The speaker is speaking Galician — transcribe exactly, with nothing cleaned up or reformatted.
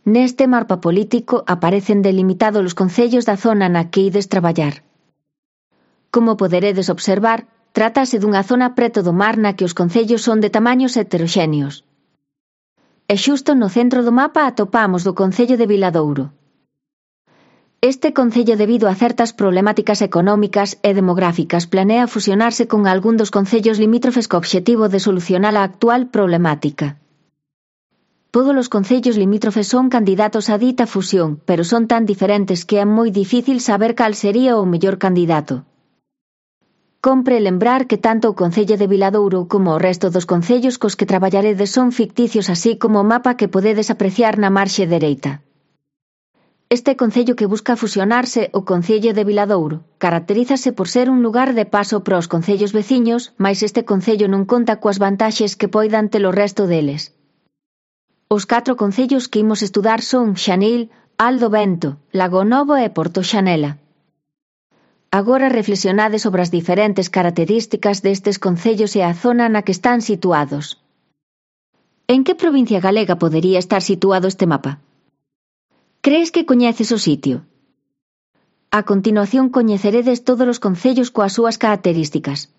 Neste mapa político aparecen delimitados os concellos da zona na que ides traballar. Como poderedes observar, trátase dunha zona preto do mar na que os concellos son de tamaños heteroxéneos. E xusto no centro do mapa atopamos do concello de Viladouro. Este concello, debido a certas problemáticas económicas e demográficas, planea fusionarse con algún dos concellos limítrofes co obxectivo de solucionar a actual problemática. Todos os concellos limítrofes son candidatos a dita fusión, pero son tan diferentes que é moi difícil saber cal sería o mellor candidato. Compre lembrar que tanto o concello de Viladouro como o resto dos concellos cos que traballaredes son ficticios, así como o mapa que podedes apreciar na marxe dereita. Este concello que busca fusionarse, o concello de Viladouro, caracterízase por ser un lugar de paso para os concellos veciños, mais este concello non conta coas vantaxes que poidan ter o resto deles. Os catro concellos que imos estudar son Xanil, Aldo Vento, Lago Novo e Porto Xanela. Agora reflexionade sobre as diferentes características destes concellos e a zona na que están situados. En que provincia galega podería estar situado este mapa? Crees que coñeces o sitio? A continuación coñeceredes todos os concellos coas súas características.